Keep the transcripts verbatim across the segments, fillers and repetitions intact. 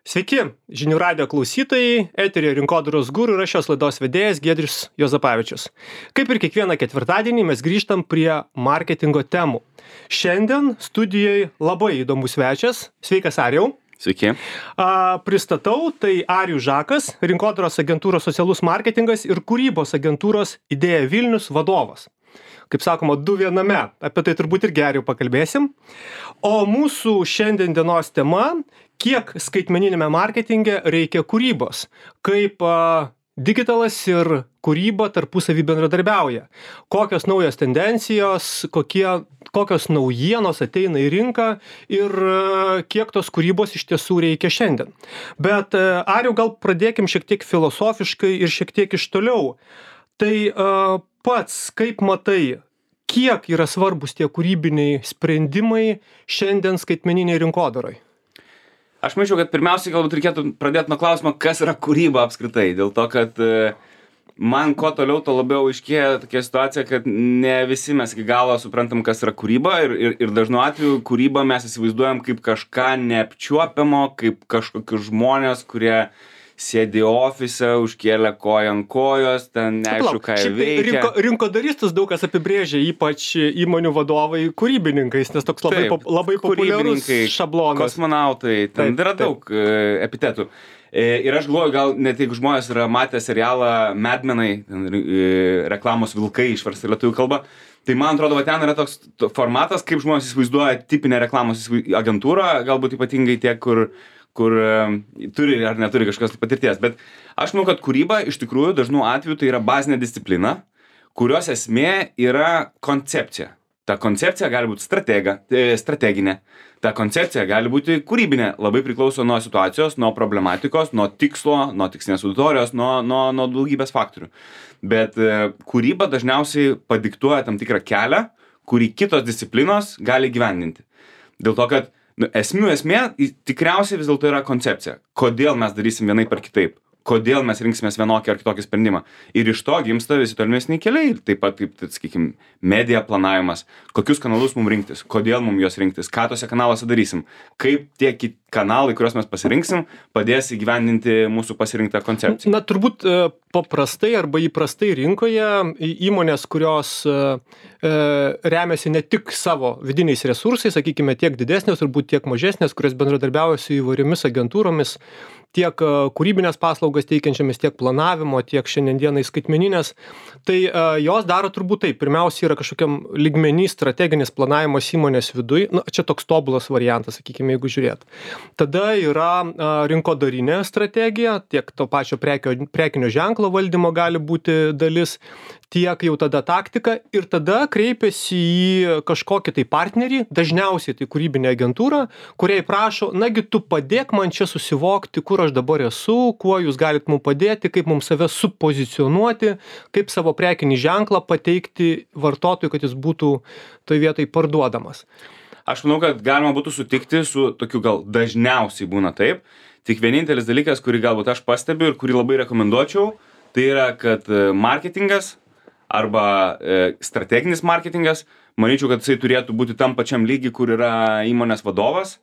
Sveiki, žinių radijo klausytojai, eteryje Rinkodaros guru ir aš šios laidos vedėjas Giedrius Juozapavičius. Kaip ir kiekvieną ketvirtadienį mes grįžtam prie marketingo temų. Šiandien studijoje labai įdomus svečias. Sveikas, Arijau. Sveiki. A, pristatau, tai Arijus Žakas, Rinkodaros agentūros socialus marketingas ir kūrybos agentūros Idėja Vilnius vadovas. Kaip sakoma, du viename, apie tai turbūt ir geriau pakalbėsim. O mūsų šiandien dienos tema, kiek skaitmeninėme marketinge reikia kūrybos, kaip a, digitalas ir kūryba tarpusavy bendradarbiauja, kokios naujos tendencijos, kokie, kokios naujienos ateina į rinką ir a, kiek tos kūrybos iš tiesų reikia šiandien. Bet a, Arijau, gal pradėkim šiek tiek filosofiškai ir šiek tiek iš toliau. Tai a, pats, kaip matai, kiek yra svarbus tie kūrybiniai sprendimai šiandien skaitmeniniai rinkodarai? Aš manyčiau, kad pirmiausiai galbūt reikėtų pradėti nuo klausimo, kas yra kūryba apskritai. Dėl to, kad man kuo toliau, to labiau aiškėja tokia situacija, kad ne visi mes iki galo suprantam, kas yra kūryba ir, ir, ir dažnu atveju kūrybą mes įsivaizduojam kaip kažką neapčiuopiamo, kaip kažkokius žmonės, kurie sėdi ofise, užkėlė koją ant kojos, ten neaišku, ką jie veikia. Rinko, rinkodaristus daug kas apibrėžia, ypač įmonių vadovai kūrybininkais, nes toks labai, Taip, labai populiarus šablonas. Kosmonautai, ten Taip, yra daug taip. epitetų. Ir aš galvoju, gal net jeigu žmonės yra matę serialą Mad Menai, reklamos vilkai išversta lietuvių kalba, tai man atrodo, va ten yra toks formatas, kaip žmonės įsivaizduoja tipinę reklamos agentūrą, galbūt ypatingai tie, kur kur um, turi ar neturi kažkokios patirties. Bet aš manau, kad kūryba iš tikrųjų dažnu atveju tai yra bazinė disciplina, kurios esmė yra koncepcija. Ta koncepcija gali būti stratega, strateginė, ta koncepcija gali būti kūrybinė, labai priklauso nuo situacijos, nuo problematikos, nuo tikslo, nuo tikslinės auditorijos, nuo, nuo, nuo daugybės faktorių. Bet e, kūryba dažniausiai padiktuoja tam tikrą kelią, kurį kitos disciplinos gali gyvendinti. Dėl to, kad Nu, esmių esmė tikriausiai vis dėlto yra koncepcija. Kodėl mes darysim vienaip ar kitaip? Kodėl mes rinksimės vienokį ar kitokį sprendimą? Ir iš to gimsta visi tolimesni keliai. Taip pat, kaip, tai, sakykime, medija planavimas. Kokius kanalus mums rinktis? Kodėl mums juos rinktis? Ką tose kanaluose darysim? Kaip tie kanalai, kuriuos mes pasirinksim, padės įgyvendinti mūsų pasirinktą koncepciją? Na, turbūt paprastai arba įprastai rinkoje įmonės, kurios remiasi ne tik savo vidiniais resursais, sakykime, tiek didesnės, turbūt tiek mažesnės, kurios bendradarbiauja su įvairiomis agentūromis, tiek kūrybinės paslaugas teikiančiamis, tiek planavimo, tiek šiandienai skaitmeninės, tai uh, jos daro turbūt taip. Pirmiausia yra kažkokiam lygmenį strateginis planavimas įmonės viduj, na, čia toks tobulas variantas, sakykime, jeigu žiūrėt. Tada yra uh, rinkodarinė strategija, tiek to pačio prekio, prekinio ženklo valdymo gali būti dalis, tiek jau tada taktika ir tada kreipiasi į kažkokį tai partnerį, dažniausiai tai kūrybinė agentūra, kuriai prašo, nagi tu padėk man čia susivokti, kur aš dabar esu, kuo jūs galit mums padėti, kaip mums save supozicionuoti, kaip savo prekinį ženklą pateikti vartotojui, kad jis būtų toj vietoj parduodamas. Aš manau, kad galima būtų sutikti su tokiu gal dažniausiai būna taip. Tik vienintelis dalykas, kurį galbūt aš pastebiu ir kurį labai rekomenduočiau, tai yra, kad marketingas arba e, strateginis marketingas, manyčiau, kad jisai turėtų būti tam pačiam lygi, kur yra įmonės vadovas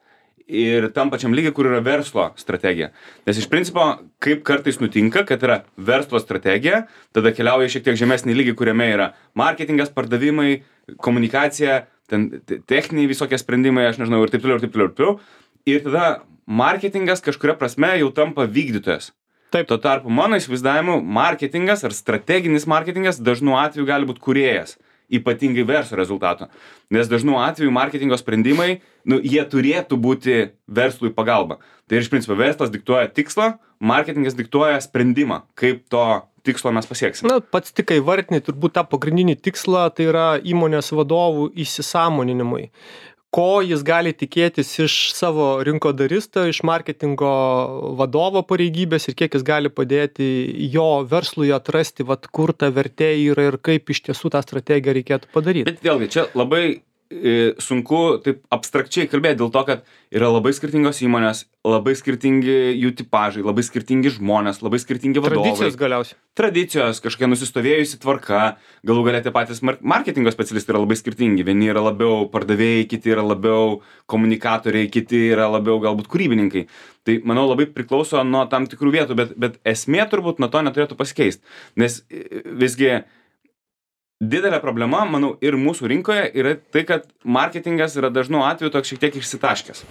ir tam pačiam lygi, kur yra verslo strategija. Nes iš principo, kaip kartais nutinka, kad yra verslo strategija, tada keliauja šiek tiek žemesnį lygį, kuriame yra marketingas, pardavimai, komunikacija, ten techniniai visokie sprendimai, aš nežinau, ir taip toliau, ir taip toliau, ir taip toliau. Ir tada marketingas kažkuria prasme jau tampa vykdytojas. Taip. Tuo tarpu mano įsivaizdavimu marketingas ar strateginis marketingas dažnu atveju gali būti kūrėjas, ypatingai verslo rezultato. Nes dažnu atveju marketingo sprendimai, nu, jie turėtų būti verslui pagalba. Tai iš principo verslas diktuoja tikslą, marketingas diktuoja sprendimą, kaip to tikslo mes pasieksime. Na, pats tik įvardinai turbūt tą pagrindinį tikslą, tai yra įmonės vadovų įsisąmoninimui. Ko jis gali tikėtis iš savo rinkodaristo, iš marketingo vadovo pareigybės ir kiek jis gali padėti jo verslui atrasti, vat, kur ta vertė yra ir kaip iš tiesų tą strategiją reikėtų padaryti. Bet vėlgi, čia labai e, sunku taip abstrakčiai kalbėti dėl to, kad yra labai skirtingos įmonės, labai skirtingi jų tipažai, labai skirtingi žmonės, labai skirtingi vadovai. Tradicijos galiausiai. Tradicijos, kažkokia nusistovėjusi tvarka, galų galia tie patys mar- marketingo specialistai yra labai skirtingi. Vieni yra labiau pardavėjai, kiti yra labiau komunikatoriai, kiti yra labiau galbūt kūrybininkai. Tai, manau, labai priklauso nuo tam tikrų vietų, bet, bet esmė turbūt nuo to neturėtų pasikeisti. Nes e, visgi didelė problema, manau, ir mūsų rinkoje yra tai, kad marketingas yra dažnu atveju toks šiek tiek išsitaškęs.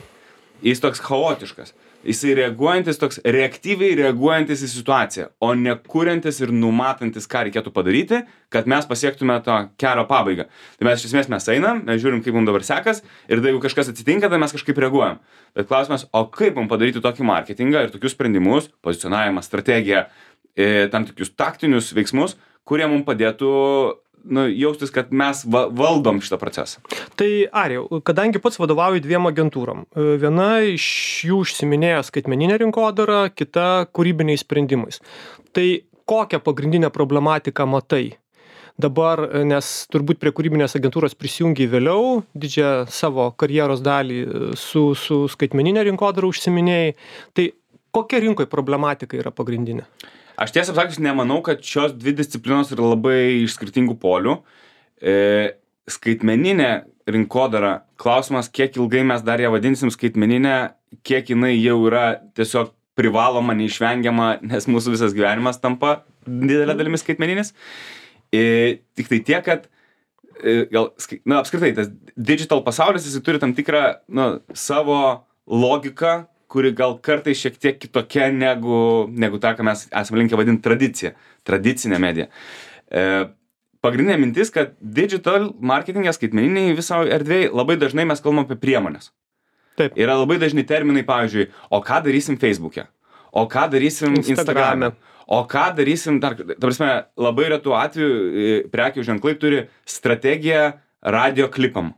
Jis toks chaotiškas. Jis reaguojantis, toks reaktyviai reaguojantis į situaciją, o ne kuriantis ir numatantis, ką reikėtų padaryti, kad mes pasiektume to kelio pabaigą. Tai mes iš esmės mes einam, mes žiūrim, kaip mums dabar sekas ir jeigu kažkas atsitinka, tai mes kažkaip reaguojam. Bet klausimas, o kaip mums padaryti tokį marketingą ir tokius sprendimus, pozicionavimą, strategiją, e, tam tikrus taktinius veiksmus, kurie mums padėtų nu, jaustis, kad mes va, valdom šitą procesą. Tai Arijau, kadangi pats vadovauju dviem agentūrom, viena iš jų užsiminėjo skaitmeninę rinkodarą, kita kūrybiniais sprendimais. Tai kokią pagrindinę problematiką matai? Dabar, nes turbūt prie kūrybinės agentūros prisijungiai vėliau, didžiąją savo karjeros dalį su, su skaitmeninė rinkodara užsiminėjai, tai kokia rinkoje problematika yra pagrindinė? Aš tiesą sakius, nemanau, kad šios dvi disciplinos yra labai iš skirtingų polių. E, skaitmeninė rinkodara, klausimas, kiek ilgai mes dar ją vadinsim skaitmeninę, kiek jinai jau yra tiesiog privaloma, neišvengiama, nes mūsų visas gyvenimas tampa didelė dalimis skaitmeninis. E, tik tai tiek, kad e, gal, na, apskritai, tas digital pasaulis, jis turi tam tikrą na, savo logiką, kuri gal kartais šiek tiek kitokia negu, negu tą, ką mes esame linkę vadinti tradicija, tradicinė medija. E, pagrindinė mintis, kad digital marketingė skaitmeniniai viso erdvėje labai dažnai mes kalbam apie priemonės. Taip. Yra labai dažni terminai, pavyzdžiui, o ką darysim Facebook'e, o ką darysim Instagram'e, o ką darysim, dar, ta prasme, labai retų atveju prekių ženklai turi strategiją radio klipam.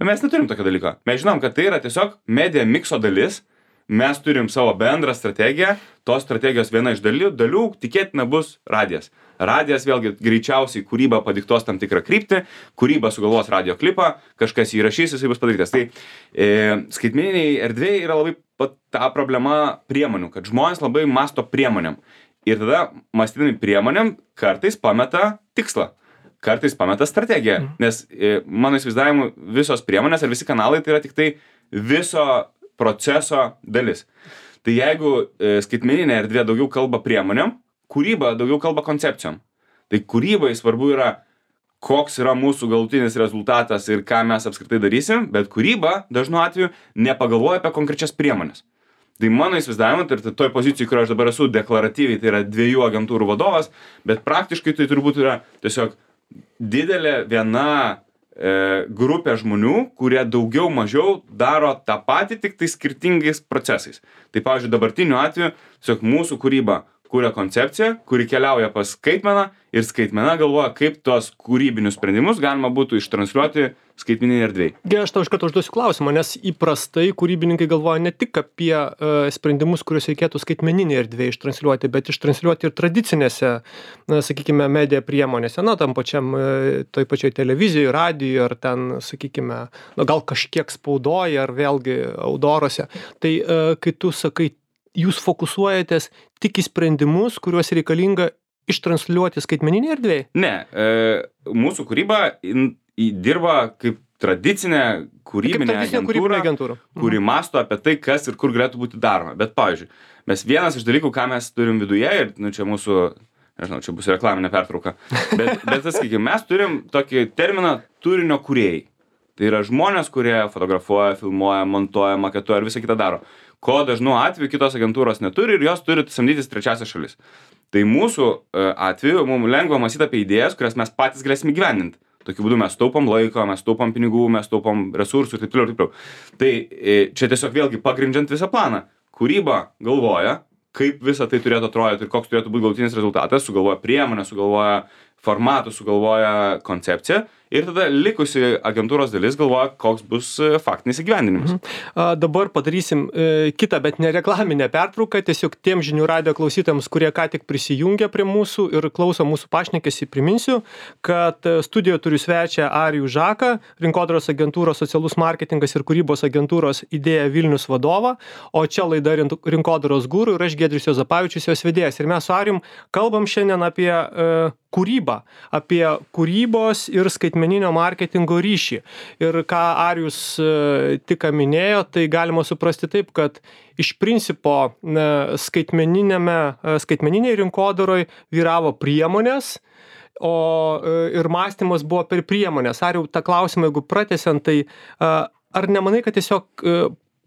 Mes neturim tokio dalyko. Mes žinom, kad tai yra tiesiog media mikso dalis. Mes turim savo bendrą strategiją, tos strategijos viena iš dalių, dalių tikėtina bus radijas. Radijas vėlgi greičiausiai kūryba padiktos tam tikrą kryptį, kūryba sugalvos radio klipą, kažkas jį įrašys, jisai bus padarytas. Tai e, skaitmeniniai erdvėjai yra labai pat ta problema priemonių, kad žmonės labai masto priemonėm. Ir tada mąstydami priemonėm kartais pameta tikslą. Kartais pameta strategiją, mm. nes e, mano įsivaizdavimu visos priemonės ir visi kanalai tai yra tik tai viso proceso dalis. Tai jeigu e, skaitmeninė erdvė daugiau kalba priemonėm, kūryba daugiau kalba koncepcijom. Tai kūrybai svarbu yra, koks yra mūsų galutinis rezultatas ir ką mes apskritai darysim, bet kūryba dažnu atveju nepagalvoja apie konkrečias priemonės. Tai mano įsivaizdavimu, tai toj pozicijai, kur aš dabar esu deklaratyviai, tai yra dviejų agentūrų vadovas, bet praktiškai tai turbūt yra tiesiog didelė viena grupė žmonių, kurie daugiau mažiau daro tą patį, tik tai skirtingais procesais. Tai, pavyzdžiui, dabartiniu atveju, tiesiog mūsų kūryba kuria koncepciją, kuri keliauja pas skaitmeną ir skaitmena galvoja, kaip tos kūrybinius sprendimus galima būtų ištransliuoti skaitmeninėje erdvėje. Gerai, aš tau iš karto užduosiu klausimą, nes įprastai kūrybininkai galvoja ne tik apie uh, sprendimus, kuriuos reikėtų skaitmeninėje erdvėje ištransliuoti, bet ištransliuoti ir tradicinėse, na, sakykime, media priemonėse, na, tam pačiam, uh, toj pačioj televizijoje, radijoje, ar ten, sakykime, na, gal kažkiek spaudoje, ar vėlgi outdooruose. Tai uh, kai tu sakai, jūs fokusuojatės tik į sprendimus, kuriuos reikalinga ištransliuoti skaitmeninėje erdvėje? Ne, e, mūsų kūryba in, į, dirba kaip tradicinė kūrybinė kaip tradicinė agentūra, agentūra, kuri mhm. masto apie tai, kas ir kur galėtų būti daroma. Bet, pavyzdžiui, mes vienas iš dalykų, ką mes turim viduje, ir nu, čia mūsų, nežinau, čia bus reklaminė pertrauka, bet, bet sakykime, mes turim tokį terminą turinio kūrėjai. Tai yra žmonės, kurie fotografuoja, filmuoja, montuoja, maketuoja ir visą kitą daro. Ko dažnu atveju kitos agentūros neturi ir jos turi samdytis trečiasias šalis. Tai mūsų atveju mums lengva mąstyti apie idėjas, kurias mes patys galėsime įgyvendinti. Tokiu būdu mes taupom laiko, mes taupom pinigų, mes taupom resursų ir taip toliau ir taip toliau. Tai čia tiesiog vėlgi pagrindžiant visą planą. Kūryba galvoja, kaip visa tai turėtų atrodyti ir koks turėtų būti galutinis rezultatas, sugalvoja priemonę, sugalvoja formatų, sugalvoja koncepciją ir tada likusi agentūros dalis galvoja, koks bus faktinis įgyvendinimas. Mhm. A, dabar padarysim e, kitą, bet ne reklaminę pertrauką, tiesiog tiem žinių radio klausytams, kurie ką tik prisijungia prie mūsų ir klauso mūsų pašnekesį, priminsiu, kad studijoje turiu svečią Arijų Žaką, rinkodaros agentūros socialus marketingas ir kūrybos agentūros Idėja Vilnius vadovą, o čia laida Rinkodaros guru ir aš Giedrius Juozapavičius, jos vedėjas. Ir mes su Arijum kalbam šiandien apie e, kūrybą, apie kūrybos ir skaitmeninio marketingo ryšį. Ir ką Arijus e, tik minėjo, tai galima suprasti taip, kad iš principo e, skaitmeninėme, e, skaitmeniniai rinkodaroj vyravo priemonės, o e, ir mąstymas buvo per priemonės. Arijau, tą klausimą, jeigu pratęsiant, tai e, ar nemanai, kad tiesiog e,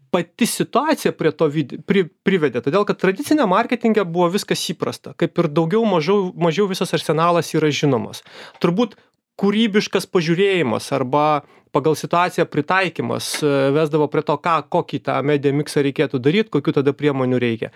pati situacija prie to vid, pri, privedė, todėl kad tradicinė marketinge buvo viskas įprasta, kaip ir daugiau mažiau, mažiau visas arsenalas yra žinomas. Turbūt kūrybiškas pažiūrėjimas arba pagal situaciją pritaikymas vesdavo prie to, ką, kokį tą media miksą reikėtų daryti, kokių tada priemonių reikia.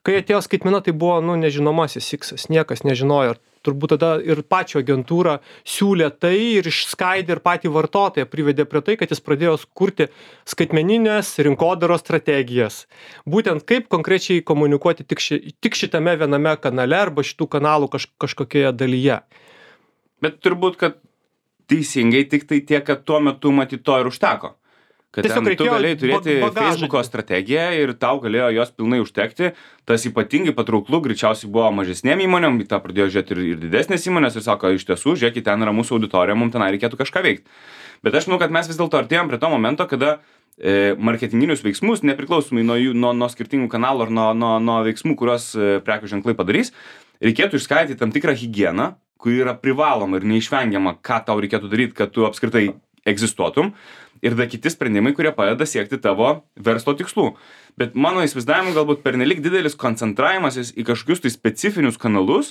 Kai atėjo skaitmena, tai buvo, nu, nežinomasis iksas, niekas nežinojo. Turbūt tada ir pačio agentūra siūlė tai ir išskaidė ir patį vartotoją privedė prie tai, kad jis pradėjo kurti skaitmeninės rinkodaros strategijas. Būtent kaip konkrečiai komunikuoti tik, ši, tik šitame viename kanale arba šitų kanalų kaž, kažkokioje dalyje. Bet turbūt, kad teisingai tik tai tiek, kad tuo metu matyt to ir užteko. Kad Tiesiog ten tu galėjai turėti bagažą. Facebooko strategiją ir tau galėjo jos pilnai užtekti. Tas ypatingai patrauklų greičiausiai buvo mažesnėm įmonėm, tą pradėjo žiūrėti ir, ir didesnės įmonės ir sako, iš tiesų, žiūrėkit, ten yra mūsų auditorija, mums ten reikėtų kažką veikti. Bet aš manau, kad mes vis dėlto artėjom prie to momento, kada e, marketinginius veiksmus, nepriklausomai nuo, jų, nuo, nuo skirtingų kanalų ar nuo, nuo, nuo veiksmų, kuriuos e, prekių ženklai padarys, reikėtų išskaidyti tam tikrą higieną, kuri yra privaloma ir neišvengiama, ką tau reikėtų daryti, kad tu apskritai egzistuotum. Ir da kiti sprendimai, kurie padeda siekti tavo verslo tikslų. Bet mano įsivaizdavimu galbūt pernelik didelis koncentravimasis į kažkokius tai specifinius kanalus,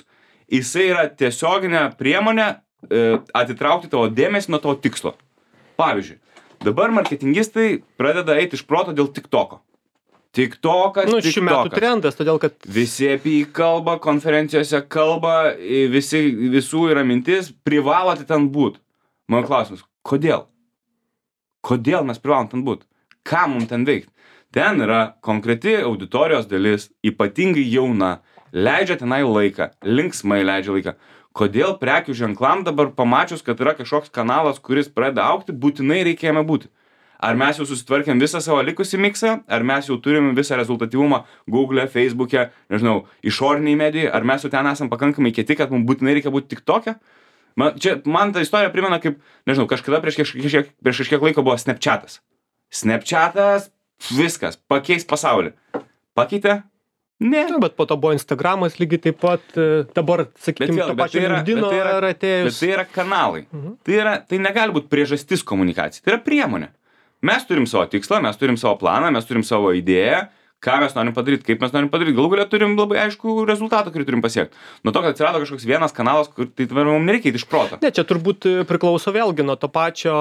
jisai yra tiesioginė priemonė e, atitraukti tavo dėmesį nuo tavo tikslo. Pavyzdžiui, dabar marketingistai pradeda eiti iš proto dėl TikToko. TikTokas, nu, šių metų trendas, todėl kad visi apie jį kalba, konferencijose kalba, visi, visų yra mintis, privalote ten būt. Mano klausimas, kodėl? Kodėl mes privalom ten būt? Ką mums ten veikti? Ten yra konkreti auditorijos dalis, ypatingai jauna, leidžia tenai laiką, linksmai leidžia laiką. Kodėl prekių ženklam dabar pamačius, kad yra kažkoks kanalas, kuris pradeda augti, būtinai reikia jame būti? Ar mes jau susitvarkėm visą savo likusį miksą, ar mes jau turim visą rezultatyvumą Google'e, Facebook'e, nežinau, išoriniai medijai, ar mes jau ten esam pakankamai kieti, kad mums būtinai reikia būti TikTok'e? Man, čia, man ta istorija primena, kaip, nežinau, kažkada prieš kažkiek, prieš kažkiek laiko buvo Snapchatas. Snapchatas, viskas, pakeis pasaulį. Pakeitė? Ne. Nu, bet po to buvo Instagramas lygiai taip pat, dabar, sakykime, to pačio LinkedIno yra atėjus. Bet tai yra kanalai. Mhm. Tai, yra, tai negali būti priežastis komunikacijai. Tai yra priemonė. Mes turim savo tikslą, mes turim savo planą, mes turim savo idėją, ką mes norim padaryti, kaip mes norim padaryti. Galų galia turim labai aišku rezultatą, kurį turim pasiekti. Nuo to, kad atsirado kažkoks vienas kanalas, kur tai mums nereikia iš proto. Ne, čia turbūt priklauso vėlgi nuo to pačio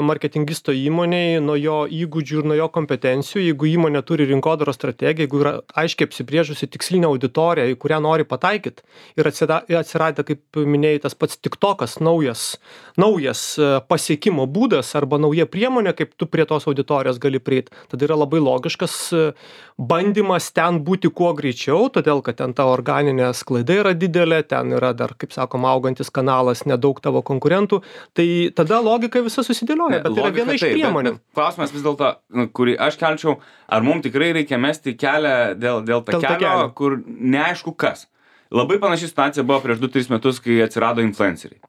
marketingisto įmonėj, nuo jo įgūdžių ir nuo jo kompetencijų. Jeigu įmonė turi rinkodaros strategiją, jeigu yra aiškiai apsibrėžusi tikslinę auditoriją, į kurią nori pataikyti, ir atsirado, kaip minėjai, tas pats TikTokas, naujas, naujas pasiekimo būdas arba nauja priemonė, kaip tu prie tos auditorijos gali prieiti, tada yra labai logiškas bandymas ten būti kuo greičiau, todėl kad ten ta organinė sklaida yra didelė, ten yra dar, kaip sakoma, augantis kanalas, nedaug tavo konkurentų, tai tada logika visa susidėlioja, Ne, bet tai yra viena iš taip, priemonių. Bet, bet klausimas vis dėlto, nu, kurį aš kelčiau, ar mums tikrai reikia mesti kelią dėl, dėl Dėl takelio, takelio. kur neaišku kas. Labai panaši situacija buvo prieš du tris metus, kai atsirado influenceriai.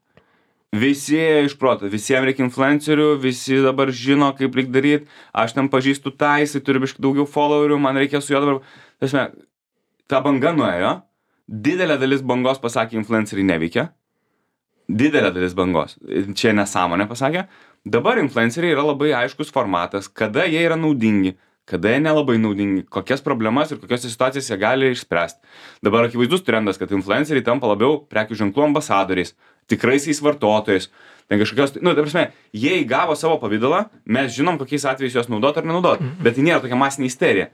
Visi iš proto, visiems reikia influencerių, visi dabar žino, kaip reikia daryti, aš ten pažįstu tą, jisai turi biškai daugiau followerių, man reikia su juo dabar. Tasme, ta banga nuėjo, didelė dalis bangos pasakė, influenceriai neveikia, didelė dalis bangos, čia nesąmonė pasakė, dabar influenceriai yra labai aiškus formatas, kada jie yra naudingi, kada jie nelabai naudingi, kokias problemas ir kokias situacijas jie gali išspręsti. Dabar akivaizdus trendas, kad influenceriai tampa labiau prekių ženklų ambasadoriais, tikraisiais vartotojais. Ten kažkokios, nu, ta prasme, jie įgavo savo pavidalą, mes žinom, kokiais atvejais juos naudot ar nenaudot, bet tai nėra tokia masinė isterija.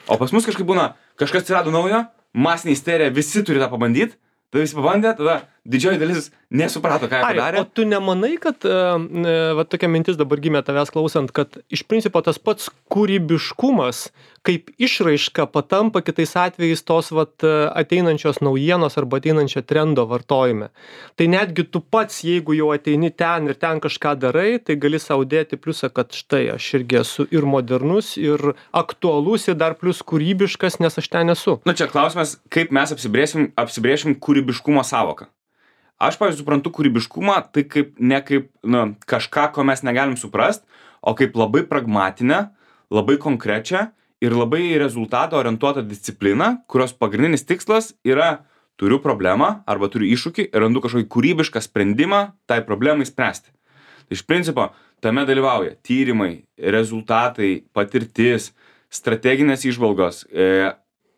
O pas mus kažkaip būna, kažkas atsirado naujo, masinė isterija, visi turi tą pabandyti, tada visi pabandė, tada didžioji dalis nesuprato, ką jie padarė. O tu nemanai, kad, va tokia mintis dabar gimė tavęs klausant, kad iš principo tas pats kūrybiškumas kaip išraiška patampa kitais atvejais tos vat ateinančios naujienos arba ateinančio trendo vartojime. Tai netgi tu pats, jeigu jau ateini ten ir ten kažką darai, tai gali sau dėti pliusą, kad štai aš irgi esu ir modernus, ir aktualus, ir dar plus kūrybiškas, nes aš ten esu. Nu čia klausimas, kaip mes apsibrėšim, apsibrėšim kūrybiškumo savoką. Aš, pavyzdžiui, suprantu kūrybiškumą, tai kaip, ne kaip nu, kažką, ko mes negalim suprast, o kaip labai pragmatinę, labai konkrečią ir labai rezultatą orientuotą discipliną, kurios pagrindinis tikslas yra turiu problemą arba turiu iššūkį ir randu kažkokį kūrybišką sprendimą tai problemai spręsti. Tai iš principo tame dalyvauja tyrimai, rezultatai, patirtis, strateginės įžvalgos, e,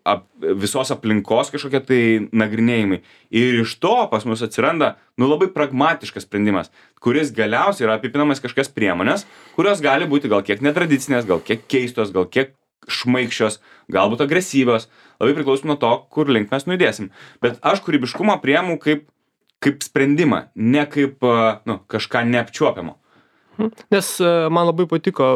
ap, visos aplinkos kažkokie tai nagrinėjimai. Ir iš to pas mus atsiranda nu, labai pragmatiškas sprendimas, kuris galiausiai yra apipinamas kažkokias priemonės, kurios gali būti gal kiek netradicinės, gal kiek keistos, gal kiek šmaikščios, galbūt agresyvios, labai priklausom nuo to, kur link mes nujudėsim. Bet aš kūrybiškumą priemu kaip, kaip sprendimą, ne kaip nu, kažką neapčiuopiamo. Nes man labai patiko,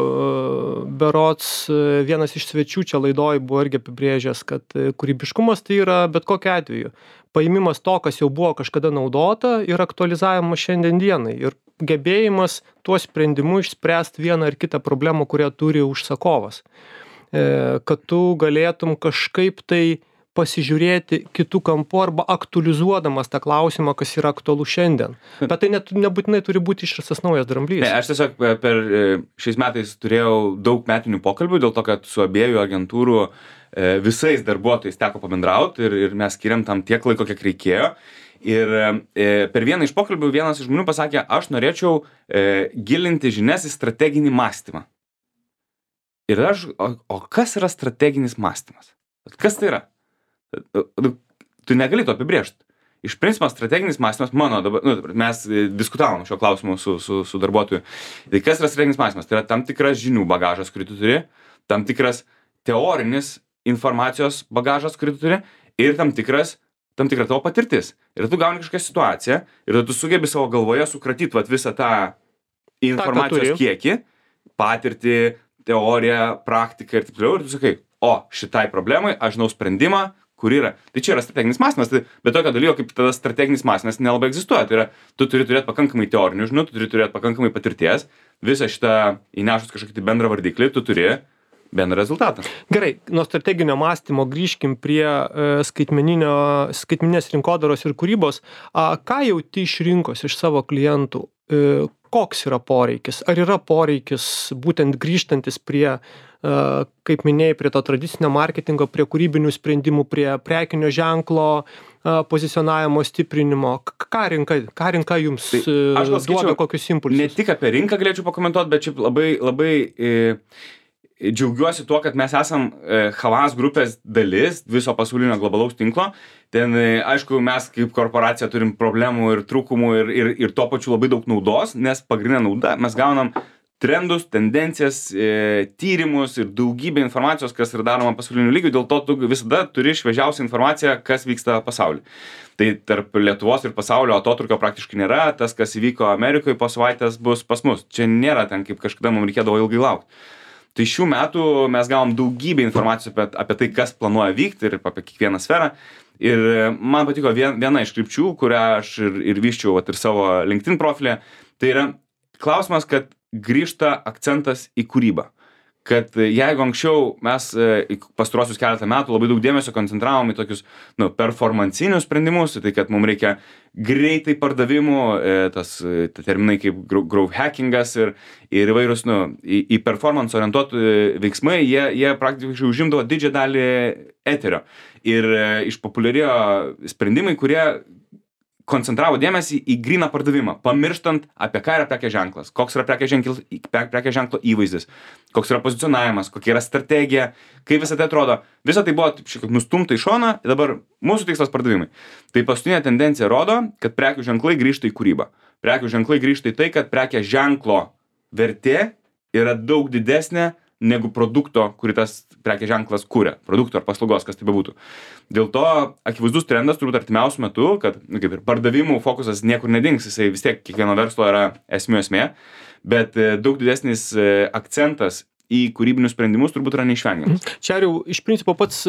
berods vienas iš svečių čia laidoj buvo irgi apibrėžęs, kad kūrybiškumas tai yra bet kokiu atveju paimimas to, kas jau buvo kažkada naudota ir aktualizavimas šiandien dienai. Ir gebėjimas tuo sprendimu išspręsti vieną ar kitą problemą, kurią turi užsakovas. Kad tu galėtum kažkaip tai pasižiūrėti kitų kampų arba aktualizuodamas tą klausimą, kas yra aktualu šiandien. Bet tai net, nebūtinai turi būti išrastas naujas dramblys. Ne, aš tiesiog per šiais metais turėjau daug metinių pokalbių, dėl to, kad su abiejų agentūrų visais darbuotojais teko pabendrauti ir, ir mes skiriam tam tiek laiko, kiek reikėjo. Ir e, per vieną iš pokalbių vienas iš žmonių pasakė, aš norėčiau e, gilinti žinias į strateginį mąstymą. Ir aš, o, o kas yra strateginis mąstymas? Kas tai yra? Tu negali to apibrėžti. Iš principo strateginis mąstymas, mano dabar, nu, mes diskutavom šio klausimu su, su, su darbuotoju. Tai kas yra strateginis mąstymas? Tai yra tam tikras žinių bagažas, kurį tu turi, tam tikras teorinis informacijos bagažas, kurį tu turi ir tam tikras, tam tikra tavo patirtis. Ir tu gauni kažkokią situaciją ir tu sugebi savo galvoje sukratyti vat, visą tą informacijos ta, kiekį, patirtį, teoriją, praktiką ir taip toliau. Ir tu sakai, o šitai problemai aš žinau sprendimą, kur yra. Tai čia yra strateginis mąstymas, tai, bet tokio dalyko kaip tada strateginis mąstymas nelabai egzistuoja. Tai yra, tu turi turėti pakankamai teorinių žinių, tu turi turėti pakankamai patirties, visą šitą įnešus kažkokį tai bendrą vardiklį, tu turi bendrą rezultatą. Gerai, nuo strateginio mąstymo grįžkim prie e, skaitmeninės rinkodaros ir kūrybos. A, ką jauti iš rinkos, iš savo klientų? E, koks yra poreikis? Ar yra poreikis būtent grįžtantis prie, e, kaip minėjai, prie to tradicinio marketingo, prie kūrybinių sprendimų, prie prekinio ženklo e, pozicionavimo, stiprinimo? Ką rinka, ką rinka jums tai, duoda, skaičiau, kokius impulsus? Ne tik apie rinką galėčiau pakomentuoti, bet šiaip labai, labai e, džiaugiuosi tuo, kad mes esam e, Havas grupės dalis viso pasaulinio globalaus tinklo. Ten, e, aišku, mes kaip korporacija turim problemų ir trūkumų ir, ir, ir tuo pačiu labai daug naudos, nes pagrindinė nauda, mes gaunam trendus, tendencijas, e, tyrimus ir daugybę informacijos, kas yra daroma pasauliniu lygiu, dėl to tu visada turi šviežiausią informaciją, kas vyksta pasaulyje. Tai tarp Lietuvos ir pasaulio atotrukio praktiškai nėra, tas, kas įvyko Amerikoje po savaitės, bus pas mus. Čia nėra ten, kaip kažkada mums reikėdavo ilgai laukti. Tai šių metų mes gavom daugybę informacijos apie, apie tai, kas planuoja vykti ir apie kiekvieną sferą. Ir man patiko vien, viena iš krypčių, kurią aš ir, ir vyščiau vat, ir savo LinkedIn profilė. Tai yra klausimas, kad grįžta akcentas į kūrybą. Kad jeigu anksčiau mes pastaruosius keletą metų labai daug dėmesio koncentravom į tokius nu, performancinius sprendimus, tai kad mums reikia greitai pardavimų, tas terminai kaip growth hackingas ir, ir įvairūs nu, į, į performance orientuotų veiksmai, jie, jie praktiškai užimdavo didžiąją dalį eterio. Ir išpopuliarėjo sprendimai, kurie koncentravo dėmesį į gryną pardavimą, pamirštant apie ką yra prekės ženklas, koks yra prekės ženklo, prekės ženklo įvaizdis, koks yra pozicionavimas, kokia yra strategija, kaip visą tai atrodo. Visą tai buvo šiek tiek nustumta į šoną, dabar mūsų tikslas pardavimai. Tai paskutinė tendencija rodo, kad prekių ženklai grįžta į kūrybą. Prekių ženklai grįžta į tai, kad prekės ženklo vertė yra daug didesnė negu produkto, kurį tas prekės ženklas kuria, produkto ar paslaugos, kas tai bebūtų. Dėl to akivaizdus trendas turbūt artimiausiu metu, kad nu, kaip ir pardavimų fokusas niekur nedings, jisai vis tiek kiekvieno verslo yra esmių esmė, bet daug didesnis akcentas į kūrybinius sprendimus turbūt yra neišvengiamas. Čia jau iš principo pats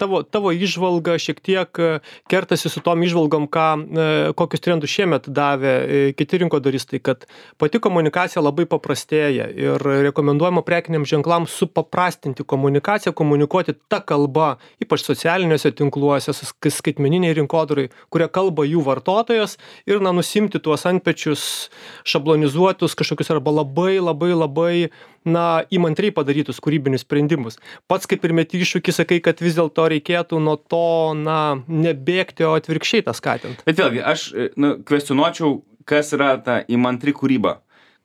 tavo, tavo įžvalga šiek tiek kertasi su tom įžvalgom, ką, kokius trendus šiemet davė kiti rinkodaristai, kad pati komunikacija labai paprastėja ir rekomenduojama prekiniams ženklams supaprastinti komunikaciją, komunikuoti tą kalbą, ypač socialiniuose tinkluose, skaitmeniniai rinkodarai, kurie kalba jų vartotojas ir na, nusimti tuos antpečius, šablonizuotus kažkokius arba labai, labai, labai na, įmantriai padarytus kūrybinius sprendimus. Pats kaip ir meti iššūkį, sakai, kad vis dėlto reikėtų nuo to, na, nebėgti, o atvirkščiai tą skatinti. Bet vėlgi, aš nu, kvestionuočiau, kas yra ta įmantri kūryba.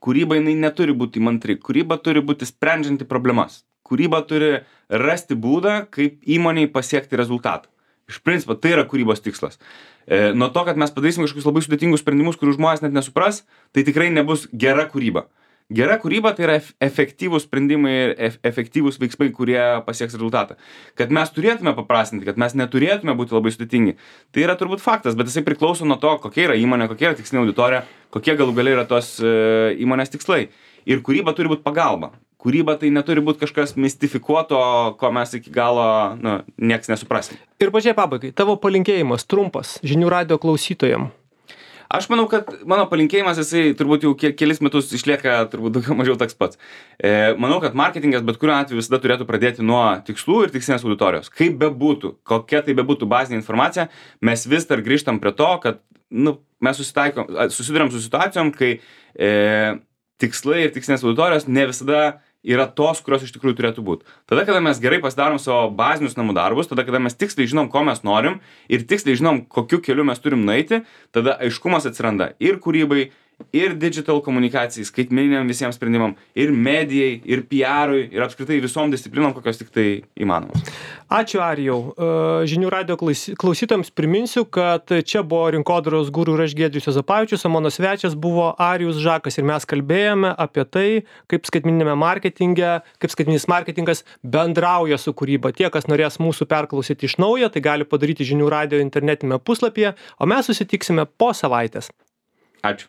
Kūryba jinai neturi būti įmantri. Kūryba turi būti sprendžianti problemas. Kūryba turi rasti būdą, kaip įmoniai pasiekti rezultatą. Iš principo, tai yra kūrybos tikslas. E, nuo to, kad mes padarysim kažkokius labai sudėtingus sprendimus, kurių žmonės net nesupras, tai tikrai nebus gera kūryba. Gera kūryba tai yra efektyvūs sprendimai ir efektyvūs veiksmai, kurie pasieks rezultatą. Kad mes turėtume paprastinti, kad mes neturėtume būti labai sudėtingi, tai yra turbūt faktas, bet jisai priklauso nuo to, kokia yra įmonė, kokia yra tikslinė auditorija, kokie galų galiai yra tos įmonės tikslai. Ir kūryba turi būti pagalba. Kūryba tai neturi būti kažkas mistifikuoto, ko mes iki galo nu, nieks nesuprasim. Ir pačiai pabaigai, tavo palinkėjimas trumpas žinių radijo klausytojam. Aš manau, kad mano palinkėjimas, jisai turbūt jau kelis metus išlieka turbūt daugiau mažiau toks pats. E, manau, kad marketingas bet kuriuo atveju visada turėtų pradėti nuo tikslų ir tikslinės auditorijos. Kaip bebūtų, kokia tai bebūtų bazinė informacija, mes vis dar grįžtam prie to, kad nu, mes susiduriam su situacijom, kai e, tikslai ir tikslinės auditorijos ne visada yra tos, kurios iš tikrųjų turėtų būti. Tada, kada mes gerai pasidarom savo bazinius namų darbus, tada, kada mes tiksliai žinom, ko mes norim ir tiksliai žinom, kokiu keliu mes turim nueiti, tada aiškumas atsiranda ir kūrybai, ir digital komunikacijai, skaitmeniniam visiems sprendimam, ir medijai, ir P R-ui, ir apskritai visom disciplinom, kokios tik tai įmanomos. Ačiū, Arijau. Žinių radijo klausytojams priminsiu, kad čia buvo rinkodaros guru ir aš Giedrius Juozapavičius, o mano svečias buvo Arijus Žakas ir mes kalbėjome apie tai, kaip skaitmeniniame marketinge, kaip skaitmeninis marketingas bendrauja su kūryba. Tie, kas norės mūsų perklausyti iš naujo, tai gali padaryti žinių radijo internetinėme puslapyje, o mes susitiksime po savaitės. Ačiū.